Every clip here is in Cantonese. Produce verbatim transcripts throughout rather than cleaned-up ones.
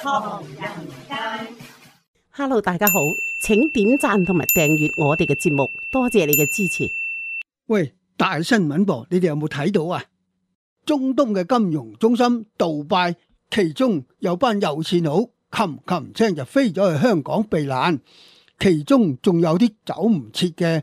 唐人街。Hello， 大家好，請點讚同埋訂閱我哋嘅節目，多謝你嘅支持。喂，大新聞噃，你哋有冇睇到啊？中東嘅金融中心杜拜，其中有班有錢佬冚冚聲就飛咗去香港避難，其中仲有啲走唔切嘅，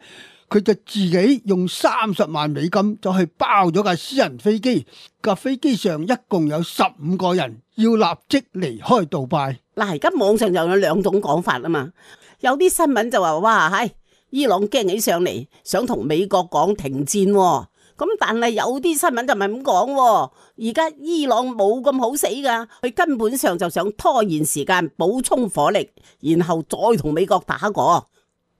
佢就自己用三十萬美金就去包咗架私人飛機，架飛機上一共有十五個人，要立即離開杜拜。嗱，而家網上就有兩種講法啊嘛，有啲新聞就話哇，係伊朗驚起上嚟，想同美國講停戰喎。咁但係有啲新聞就唔係咁講喎，而家伊朗冇咁好死噶，佢根本上就想拖延時間，補充火力，然後再同美國打過。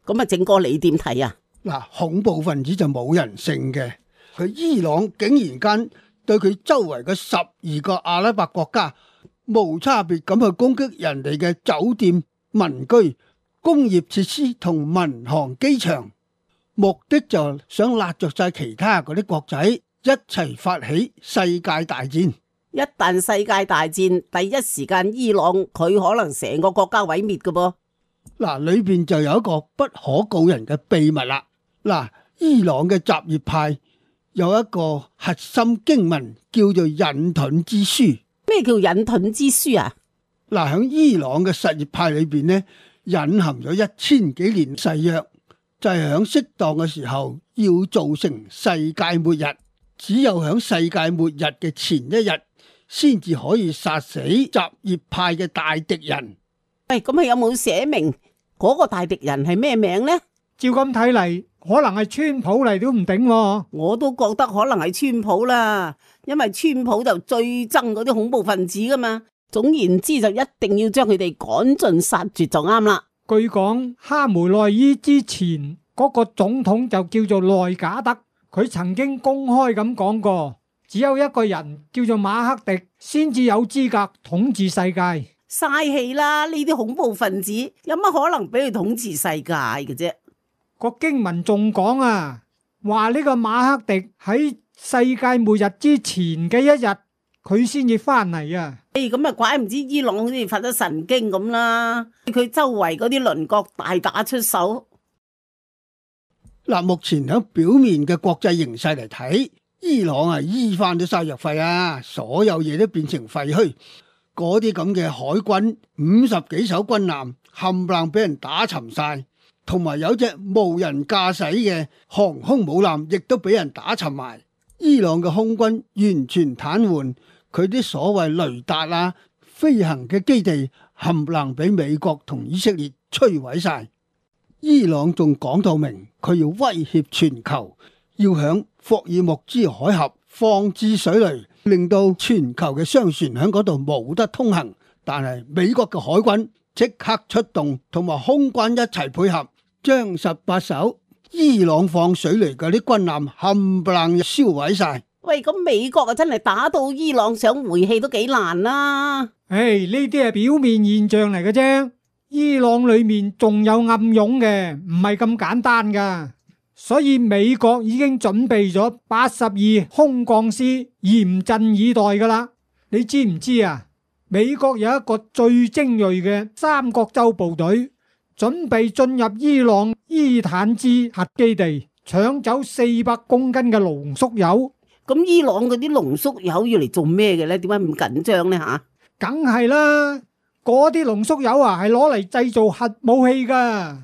咁啊，正哥你點睇啊？嗱，恐怖分子就冇人性嘅，佢伊朗竟然間對佢周圍嘅十二個阿拉伯國家無差別咁去攻擊人哋嘅酒店、民居、工業設施同民航機場。目的就想拉着晒其他嗰啲國仔一齊發起世界大戰。一旦世界大戰，第一時間伊朗佢可能成個國家毀滅㗎噃。嗱，裏邊就有一個不可告人嘅秘密啦。嗱，伊朗嘅什葉派有一個核心經文叫做隱遁之書。咩叫隱遁之書啊？嗱，喺伊朗嘅什葉派裏邊呢，隱含咗一千幾年誓約。就係喺適當嘅時候要造成世界末日，只有喺世界末日嘅前一日，先至可以殺死什葉派嘅大敵人。喂，咁佢有冇寫明嗰個大敵人係咩名呢？照咁睇嚟，可能係川普嚟都唔定。我都覺得可能係川普啦，因為川普就最憎嗰啲恐怖分子噶嘛。總言之，就一定要將佢哋趕盡殺絕就啱啦。據講，哈梅內伊之前嗰個總統就叫做內賈德，佢曾經公開咁講過，只有一個人叫做馬克迪先至有資格統治世界。嘥氣啦！呢啲恐怖分子有乜可能俾佢統治世界嘅啫？個經文仲講啊，話呢個馬克迪喺世界末日之前嘅一日，佢先至翻嚟啊！誒，咁啊，怪唔知伊朗好似發咗神經咁啦，佢周圍嗰啲鄰國大打出手。嗱，目前喺表面嘅國際形勢嚟睇，伊朗啊醫翻咗晒藥費啊，所有嘢都變成廢墟。嗰啲咁嘅海軍五十幾艘軍艦冚唪唥俾人打沉晒，同埋有隻無人駕駛嘅航空母艦亦都俾人打沉埋。伊朗嘅空軍完全癱瘓。佢啲所謂雷達啊、飛行嘅基地冚唪唥俾美國同以色列摧毀晒。伊朗仲講到明，佢要威脅全球，要響霍爾木茲海峽放置水雷，令到全球嘅商船響嗰度冇得通行。但係美國嘅海軍即刻出動，同埋空軍一齊配合，將十八艘伊朗放水雷嗰啲軍艦冚唪唥燒毀晒。喂，咁美國啊真係打到伊朗想回氣都幾難啦。唉，呢啲係表面現象嚟嘅啫，伊朗裏面仲有暗湧嘅，唔係咁簡單噶。所以美國已經準備咗八十二空降師，嚴陣以待噶啦。你知唔知啊？美國有一個最精銳嘅三角洲部隊，準備進入伊朗伊坦茲核基地，搶走四百公斤嘅濃縮鈾。咁伊朗嗰啲濃縮鈾要嚟做咩嘅咧？點解咁緊張咧？吓，梗係啦，嗰啲濃縮鈾啊係攞嚟製造核武器噶。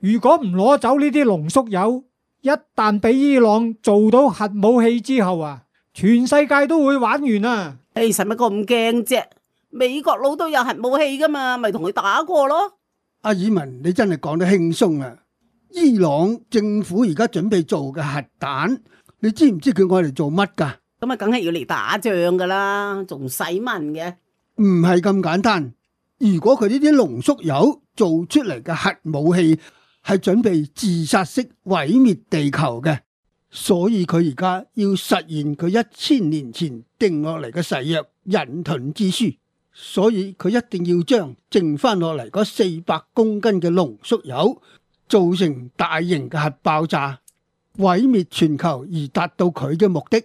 如果唔攞走呢啲濃縮鈾，一旦俾伊朗做到核武器之後啊，全世界都會玩完啊！誒，使乜咁驚啫？美國佬都有核武器噶嘛，咪同佢打過咯。阿爾文，你真係講得輕鬆啊！伊朗政府而家準備做嘅核彈，你知唔知佢愛嚟做乜噶？咁啊，梗係要嚟打仗噶啦，仲使問嘅？唔係咁簡單。如果佢呢啲濃縮鈾做出嚟嘅核武器係準備自殺式毀滅地球嘅，所以佢而家要實現佢一千年前定落嚟嘅誓約隱遁之書，所以佢一定要將剩翻落嚟嗰四百公斤嘅濃縮鈾造成大型嘅核爆炸，毀滅全球而達到佢嘅目的。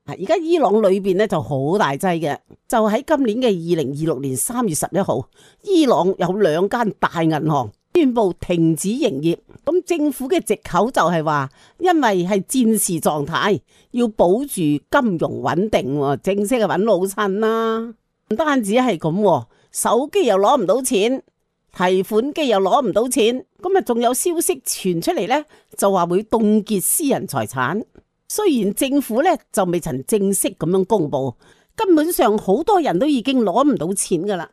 而家伊朗裏邊咧就好大劑嘅，就喺今年嘅二零二六年三月十一號，伊朗有兩間大銀行宣布停止營業。咁政府嘅藉口就係話，因為係戰時狀態，要保住金融穩定，正式係揾老襯啦。唔單止係咁，手機又攞唔到錢，提款機又攞唔到錢，咁啊仲有消息傳出嚟呢，就話會凍結私人財產。雖然政府咧就未曾正式咁樣公布，根本上好多人都已經攞唔到錢噶啦。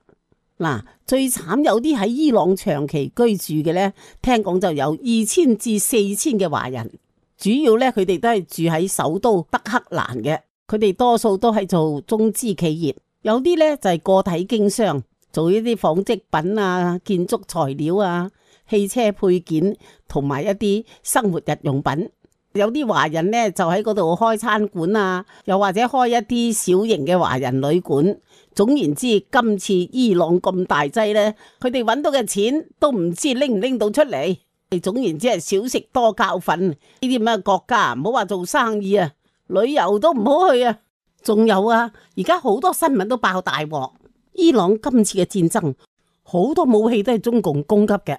嗱，最慘有啲喺伊朗長期居住嘅咧，聽講就有二千至四千嘅華人，主要咧佢哋都係住喺首都德黑蘭嘅，佢哋多數都係做中資企業，有啲咧就係個體經商，做一啲紡織品啊、建築材料啊、汽車配件同埋一啲生活日用品。有啲華人呢，就喺嗰度開餐館啊，又或者開一啲小型嘅華人旅館。總言之，今次伊朗咁大劑呢，佢哋揾到嘅錢都唔知拎唔拎到出嚟。總言之係少食多教訓。呢啲咁嘅國家唔好話做生意啊，旅遊都唔好去啊。仲有啊，而家好多新聞都爆大鑊。伊朗今次嘅戰爭，好多武器都係中共供給嘅。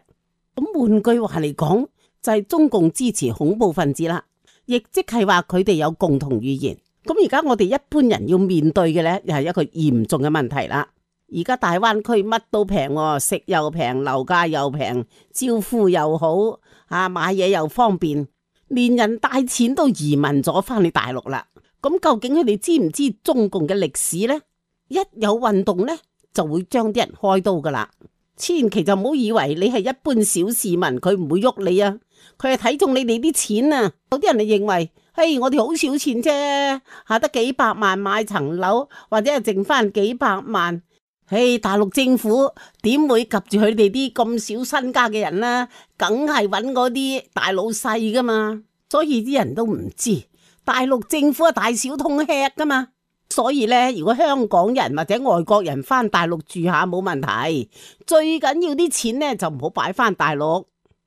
咁換句話嚟講，就係中共支持恐怖分子啦，亦即係話佢哋有共同語言。咁而家我哋一般人要面對嘅呢，又係一個嚴重嘅問題啦。而家大灣區乜都平，食又平，樓價又平，招呼又好，啊買嘢又方便，連人帶錢都移民咗翻去大陸啦。咁究竟佢哋知唔知中共嘅歷史呢？一有運動呢，就會將啲人開刀噶啦。千祈就唔好以為你係一般小市民，佢唔會喐你啊！佢係睇中你哋啲錢啊！有啲人就認為，嘿，我哋好少錢啫，下得幾百萬買層樓，或者係剩翻幾百萬。嘿，大陸政府點會及住佢哋啲咁少身家嘅人呢？梗係揾嗰啲大老細噶嘛。所以啲人都唔知，大陸政府係大小通吃噶嘛。所以咧，如果香港人或者外國人翻大陸住下冇問題，最緊要啲錢咧就唔好擺翻大陸，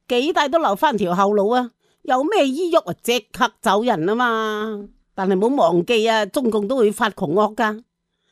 幾大都留翻條後路啊！有咩依喐啊，即刻走人啊嘛！但係唔好忘記啊，中共都會發窮惡噶，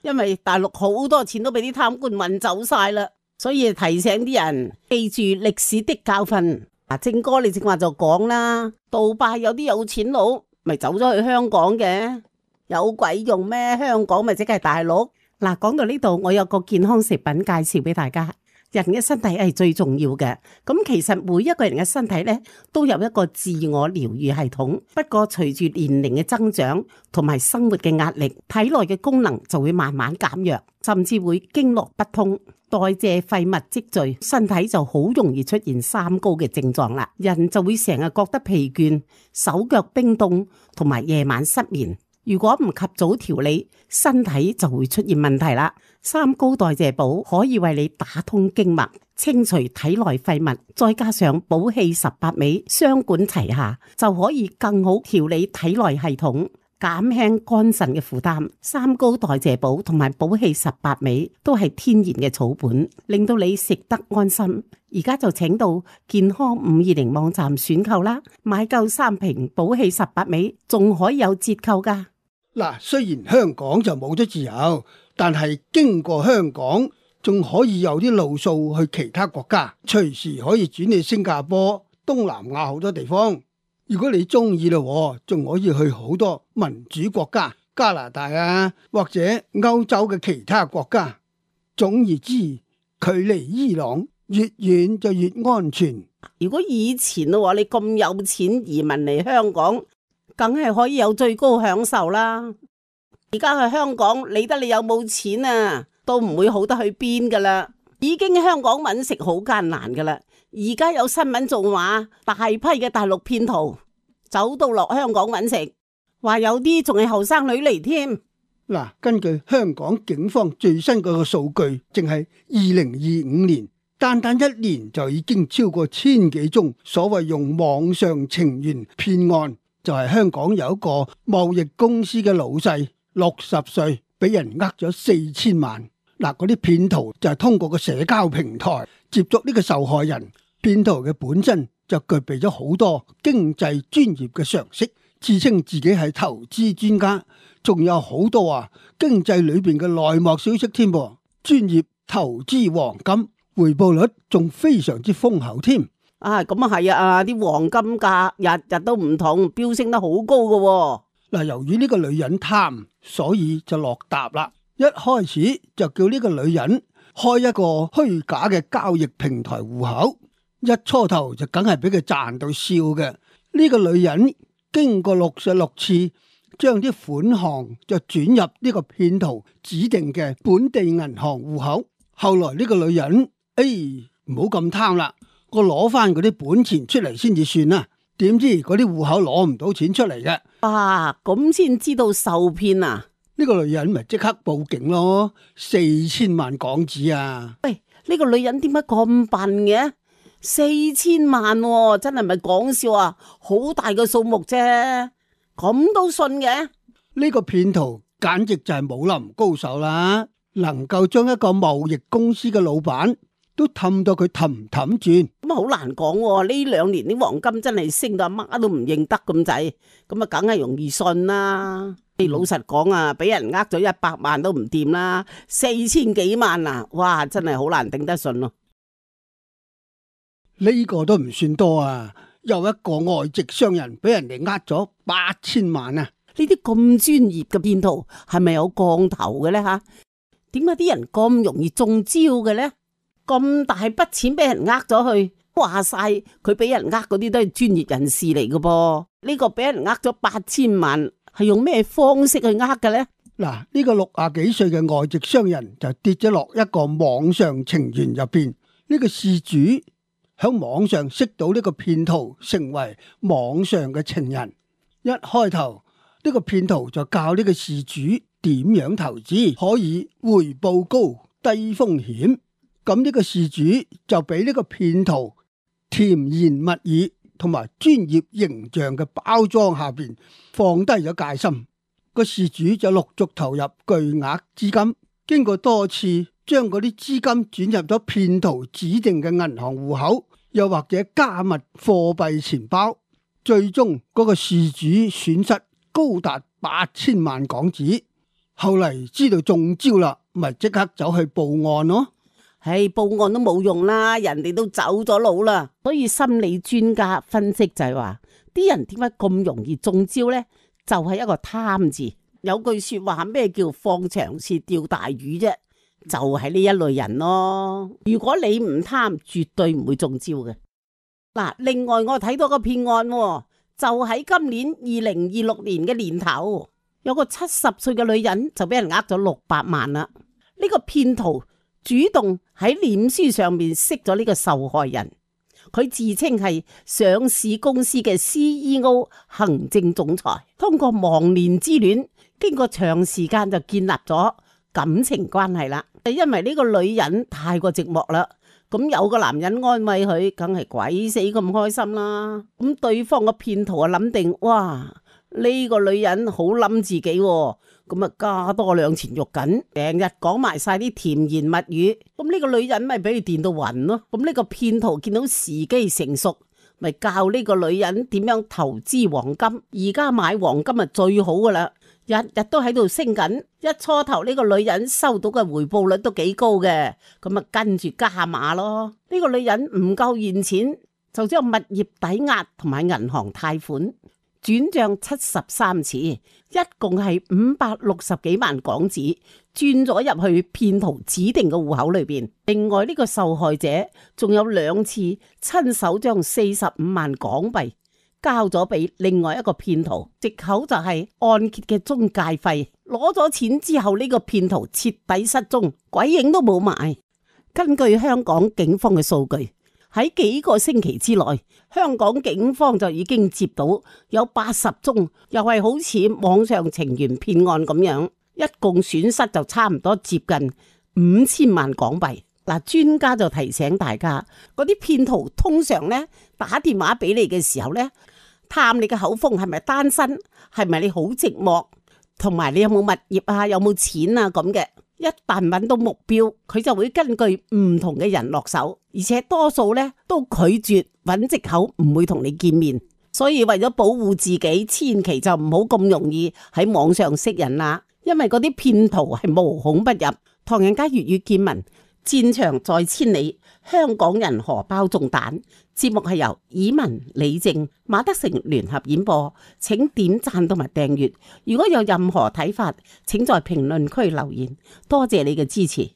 因為大陸好多錢都俾啲貪官運走晒啦，所以提醒啲人記住歷史的教訓。嗱，正哥你正話就講啦，杜拜有啲有錢佬咪走咗去香港嘅。有鬼用咩？香港咪即係大陸。嗱，講到呢度，我有個健康食品介紹俾大家。人嘅身體係最重要嘅，咁其實每一個人嘅身體咧都有一個自我療愈系統。不過隨住年齡嘅增長同埋生活嘅壓力，體內嘅功能就會慢慢減弱，甚至會經絡不通、代謝廢物積聚，身體就好容易出現三高嘅症狀啦。人就會成日覺得疲倦、手腳冰凍同埋夜晚失眠。如果唔及早調理，身體就會出現問題啦。三高代謝寶可以為你打通經脈，清除體內廢物，再加上補氣十八味，雙管齊下，就可以更好調理體內系統，減輕肝腎嘅負擔。三高代謝寶同埋補氣十八味都係天然嘅草本，令到你食得安心。而家就請到健康五二零網站選購啦，買夠三瓶補氣十八味，仲可以有折扣噶。嗱，雖然香港就冇咗自由，但係經過香港仲可以有啲路數去其他國家，隨時可以轉去新加坡、東南亞好多地方。如果你中意咯，仲可以去好多民主國家，加拿大啊，或者歐洲嘅其他國家。總而之，距離伊朗越遠就越安全。如果以前咯，你咁有錢移民嚟香港，梗係可以有最高享受啦。而家去香港，理得你有冇錢啊，都唔會好得去邊噶啦。已經香港揾食好艱難噶啦。而家有新聞仲話，大批嘅大陸騙徒走到落香港揾食，話有啲仲係後生女嚟添。嗱，根據香港警方最新嗰個數據，淨係二零二五年，單單一年就已經超過千幾宗所謂用網上情緣騙案。就係香港有一個貿易公司嘅老細，六十歲，俾人呃咗四千萬。嗱，嗰啲騙徒就係通過個社交平台接觸呢個受害人。騙徒嘅本身就具備咗好多經濟專業嘅常識，自稱自己係投資專家，仲有好多啊經濟裏邊嘅內幕消息添噃。專業投資黃金，回報率仲非常之豐厚添。啊，咁啊係啊，啲黃金價日日都唔同，飆升得好高噶喎。嗱，由於呢個女人貪，所以就落搭啦。一開始就叫呢個女人開一個虛假嘅交易平台戶口，一初頭就梗係俾佢賺到笑嘅。呢個女人經過六十六次，將啲款項就轉入呢個騙徒指定嘅本地銀行戶口。後來呢個女人，哎，唔好咁貪啦，我攞翻嗰啲本錢出嚟先至算啦。點知嗰啲戶口攞唔到錢出嚟嘅。啊，咁先知道受騙啊！呢個女人咪即刻報警咯，四千萬港紙啊！喂，呢個女人點解咁笨嘅？四千萬喎，真係咪講笑啊？好大嘅數目啫，咁都信嘅？呢個騙徒簡直就係武林高手啦，能夠將一個貿易公司嘅老闆都氹到佢氹氹轉。咁啊好難講喎，呢兩年啲黃金真係升到阿媽都唔認得咁滯，咁啊梗係容易信啦。你老實講啊，俾人呃咗一百萬都唔掂啦，四千幾萬啊，哇，真係好難頂得順咯。呢個都唔算多啊，有一個外籍商人俾人哋呃咗八千萬啊！呢啲咁專業嘅騙徒係咪有降頭嘅咧吓？點解啲人咁容易中招嘅咧？咁大筆錢俾人呃咗去，話晒佢俾人呃嗰啲都係專業人士嚟嘅噃。呢個俾人呃咗八千萬，係用咩方式去呃嘅咧？嗱，呢個六廿幾歲嘅外籍商人就跌咗落一個網上情緣入邊。呢個事主喺網上識到呢個騙徒，成為網上嘅情人。一開頭呢個騙徒就教呢個事主點樣投資可以回報高、低風險。咁呢個事主就俾呢個騙徒甜言蜜語同埋專業形象嘅包裝下邊放低咗戒心。個事主就陸續投入巨額資金，經過多次將嗰啲資金轉入咗騙徒指定嘅銀行戶口，又或者加密貨幣錢包，最終嗰個事主損失高達八千萬港紙。後嚟知道中招啦，咪即刻走去報案咯。唉，報案都冇用啦，人哋都走咗佬啦。所以心理專家分析就係話，啲人點解咁容易中招呢？就係一個貪字。有句說話，咩叫放長線釣大魚啫？就係呢一類人咯。如果你唔貪，絕對唔會中招嘅。嗱，另外我睇到個騙案，就喺今年二零二六年嘅年頭，有個七十歲嘅女人就俾人呃咗六百萬啦。呢個騙徒主動喺臉書上面識咗呢個受害人，佢自稱係上市公司嘅 C E O 行政總裁，通過忘年之戀，經過長時間就建立咗感情關係啦。因為呢個女人太過寂寞啦，咁有個男人安慰佢，梗係鬼死咁開心啦。咁對方個騙徒啊諗定，哇，呢個女人好冧自己喎。咁啊，加多兩錢肉緊，成日講埋晒啲甜言蜜語，咁呢個女人咪俾佢電到暈咯。咁呢個騙徒見到時機成熟，咪教呢個女人點樣投資黃金。而家買黃金啊最好噶啦，日日都喺度升緊。一初頭呢個女人收到嘅回報率都幾高嘅，咁啊跟住加碼咯。呢個女人唔夠現錢，就將物業抵押同埋銀行貸款轉賬七十三次，一共係五百六十幾萬港紙，轉咗入去騙徒指定嘅戶口裏邊。另外呢個受害者仲有兩次親手將四十五萬港幣交咗俾另外一個騙徒，藉口就係按揭嘅中介費。攞咗錢之後，呢個騙徒徹底失蹤，鬼影都冇埋。根據香港警方嘅數據，喺幾個星期之內，香港警方就已經接到有八十宗，又係好似網上情緣騙案咁樣，一共損失就差唔多接近五千萬港幣。嗱，專家就提醒大家，嗰啲騙徒通常咧打電話俾你嘅時候咧，探你嘅口風係咪單身，係咪你好寂寞，同埋你有冇物業啊，有冇錢啊咁嘅。一旦揾到目標，佢就會根據唔同嘅人落手，而且多數咧都拒絕揾藉口，唔會同你見面。所以為咗保護自己，千祈就唔好咁容易喺網上識人啦，因為嗰啲騙徒係無孔不入。唐人街粵語見聞，戰場在千里，香港人荷包中彈。節目係由以文、李靜、馬德成聯合演播，請點讚同埋訂閱。如果有任何睇法，請在評論區留言。多謝你嘅支持。